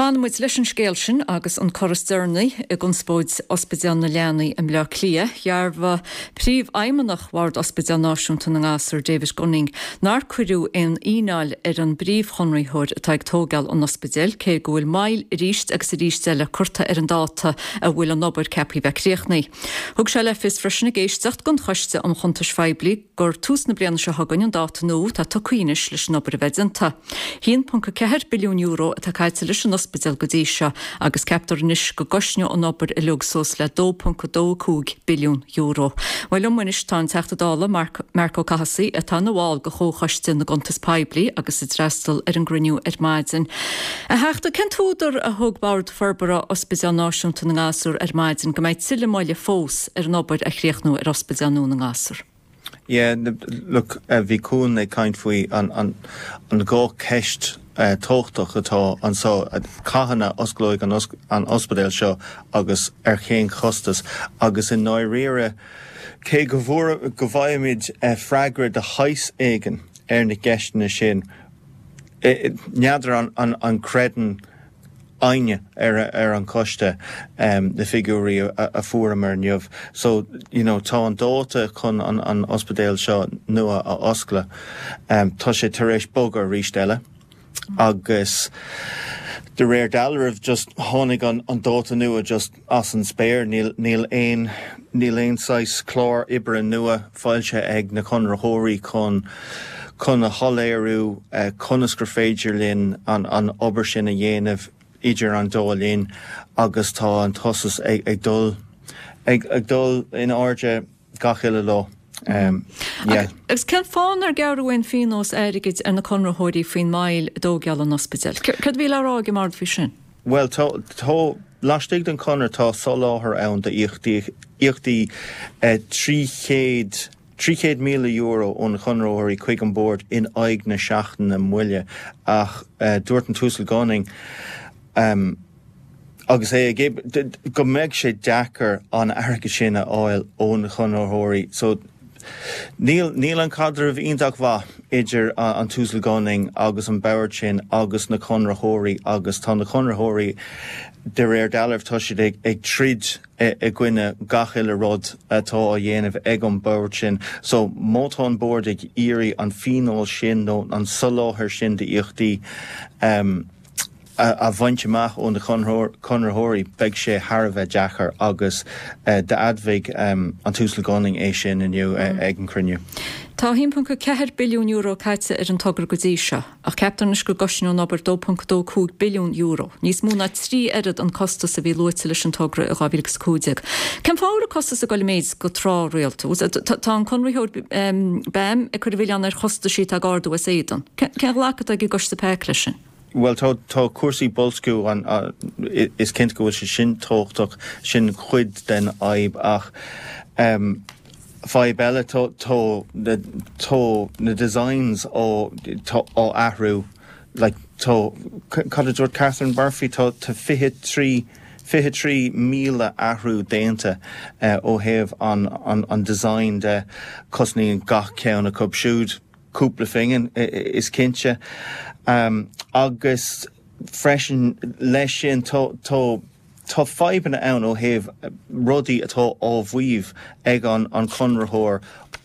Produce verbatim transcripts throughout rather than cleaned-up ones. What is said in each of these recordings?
Fanann muid leis an scéal sin agus an cor is deireanaí i gconspóid Ospidéal na Leanaí i mBleá Cliath, dhearbhaigh Príomhfheidhmeannach Bhord Ospidéal Náisiúnta na nGasúr David Gunning nár cuireadh aon fhíneáil ar an bpríomhchonraitheoir atá ag tógáil an ospidéil cé go bhfuil moill arís agus arís eile curtha ar an dáta a bhfuil an obair ceaptha bheith críochnaithe. Thug sé le fios freisin ag éisteacht don Choiste um Chuntais Phoiblí gur tús na bliana seo chugainn an dáta nua atá tugtha anois leis an obair a bheith déanta. haon ponc ceathair billiún euro atá caite leis an ospidéal go dtí seo agus ceaptar anois go gcosnóidh an obair uilig suas le dó ponc dó cúig billiún euro. Well liom anois tá an Teachta Dála Marc Marc Ó Cathasaigh atá ina bhall de Chomhchoiste na gCuntas Poiblí agus a d'fhreastail ar an gcruinniú ar maidin. A Theachta cén t-údar a thug Bord Forbartha Ospidéal Náisiúnta na nGasúr ar maidin go mbeidh tuilleadh moille fós ar an obair a chríochnú ar Ospidéal nua na nGasúr. Yeah, look, uh, bhí Cuan ag caint faoi an, an, an dhá cheist uh, tábhachtach atá anseo cathain a osclóidh an, an ospidéal seo agus ar cén chostas agus i ndáiríre cé go bhfuair go bhfaighimid uh, freagra de shaghas éigin ar na ceisteanna sin. N'fheadar an, an, an gcreideann éinne ar ar an choiste um, na figiúirí a, a fuaireamar inniu. So you know, tá an dáta chun an, an ospidéal seo nua a oscailt. Um, tá sé tar éis bogadh arís eile agus de réir dealraimh just tháinig an, an dáta nua just as an spéir níl, níl aon níl aon saghas clár oibre nua foilsithe ag na conraitheoirí chun chun a shoiléiriú uh, conas gur féidir linn an, an obair sin a dhéanamh idir an dá linn agus tá an costas ag, ag dul ag, ag dul in airde gach uile lá. Um, yeah. Agus cén fáth nár gearradh aon phionós airgid ar na conraitheoirí faoin moill i dtógáil an ospidéil. Cad bhí le rá ag an mbord faoi sin? Well tá tá laistigh den chonradh tá soláthar ann d'íocaíochtaí uh, trí chéad trí chéad míle euro ón chonraitheoirí chuig an bord in aghaidh na seachtaine moille ach uh, dúirt an tUasal Gunning um, agus é go mbeidh sé deacair an airgead sin a fháil ón chonraitheoirí so Níl níl an caidreamh iontach mhaith idir an tUasal Gunning agus an bord sin agus na conraitheoirí agus tá na conraitheoirí de réir dealraimh tá siad ag, ag troid i gcoinne gach uile rud atá á dhéanamh ag an bord sin. So má tá an bord ag iarraidh an phionós sin nó an soláthar sin d'íocaíochtaí um, a, a bhaint amach ó na conraitheoirí beidh sé thar a bheith deacair agus uh, d'admhaigh um, an tUasal Gunning é sin inniu mm. ag an cruinniú. Tá haon ponc ceathair billiún euro caite ar an togra go dtí seo, ach ceaptar anois go gcosnóidh an obair dó ponc dó cúig billiún euro. Níos mó ná trí oiread an costas a bhí luaite leis an togra i dhá mhíle agus cúig déag. Cén fáth an costas ag dul i méid go tráthrialta? Tá an conraitheoir um, BAM ag cur an mhilleáin ar chostaisí atá ag ardú as éadan. Cén ghlacadh ag an gcoiste PAC leis sin? Well tá tá cúrsaí boilsciú an uh, is cinnte go bhfuil sé sin tábhachtach sin chuid den fhadhb ach um, fadhb eile tá tá na tá na designs á tá á athrú like tá cad a dúirt Catherine Murphy tá tá fiche trí fiche trí míle athrú déanta uh, ó thaobh an, an, an design de cosnaíonn gach ceann acu siúd cúpla phingin is cinnte. Um, agus freisin leis sin tá tá tá fadhbanna ann ó thaobh rudaí atá á mhaíomh ag an an conraitheoir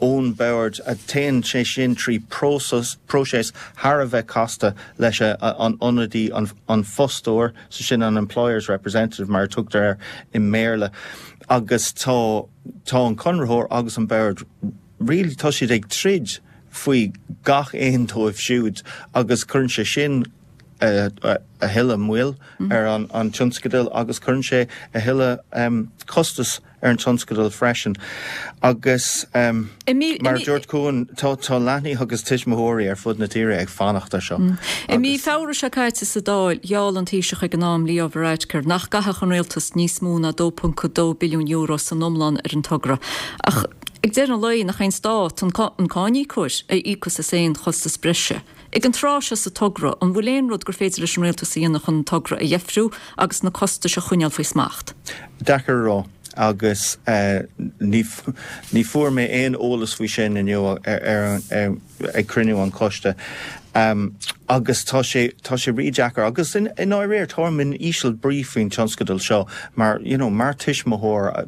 ón bord a téann sé sin trí próiseas próiseas thar a bheith casta leis a, an ionadaí an, an fostóir so sin an employers representative mar tugtar air i mBéarla agus tá tá an conraitheoir agus an bord really tá siad ag troid faoi gach aon dóibh siúd agus cuireann sé sin a, a, a thuilleadh moill mm. ar an, an tionscadal agus cuireann sé a thuilleadh um, costas ar an tionscadal freisin. Agus um, mar dúirt Cuan tá tá leanaí agus tuismitheoirí ar fud na tíre ag fanacht ar seo. Mm. I mí Feabhra seo caite sa Dáil gheall an Taoiseach ag an am Leo Varadkar nach gcaithfeadh an rialtas níos mó ná dó ponc dó billiún euro san iomlán ar an togra. Ach ag deireadh an lae nach é an stát an an cáiníocóir a íocfas as aon chostas breise. Ag an tráth seo sa togra an bhfuil aon rud gur féidir leis an rialtas a dhéanamh chun an togra a dheifriú agus na costais a choinneáil faoi smacht. Deacair a rá agus uh, ní, ní fuair mé aon eolas faoi sin inniu ar, ar, ar, ag cruinniú an choiste. Um, agus tá sé tá sé rídheacair agus in, in áirír táim in íseal brí faoin tionscadal seo mar you know, mar tuismitheoir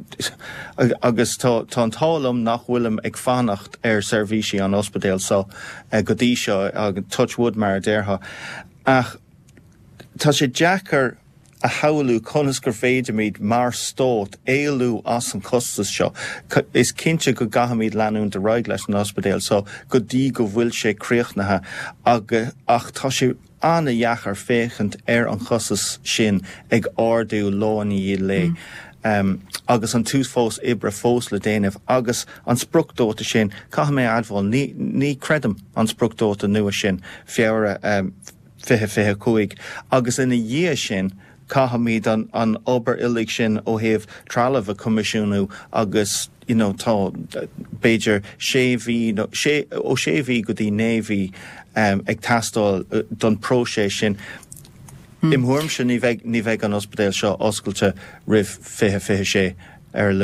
agus tá tá an t-ádh liom nach bhfuilim ag fanacht ar seirbhísí an ospidéal so uh, go dtí seo agus touch wood mar a déarfá ach tá sé deacair a shamhlú conas gur féidirmid mar stát éalú as an costas seo. Is cinnte go gcaithfimid leanúint ar aghaidh leis an ospidéal so go dtí go bhfuil sé críochnaithe ach tá sé an-deacair féachaint ar an chostas sin ag ardú lá i ndiaidh lae. Mm. Um, agus an t-uafás oibre fós le déanamh agus an spriocdháta sin caithfidh mé a admháil ní, ní creidim an spriocdháta nua sin Feabhra um, fiche fiche cúig agus ina dhiaidh sin caithfimid an, an obair uilig sin ó thaobh trealamh a choimisiúnú agus you know, tá b'fhéidir sé mhí sé ó sé mhí go dtí naoi mhí um, ag teastáil uh, don próiseas sin. Hmm. Im thuairimse ní bheidh ní bheidh an ospidéal seo oscailte roimh fiche fiche sé ar a luath.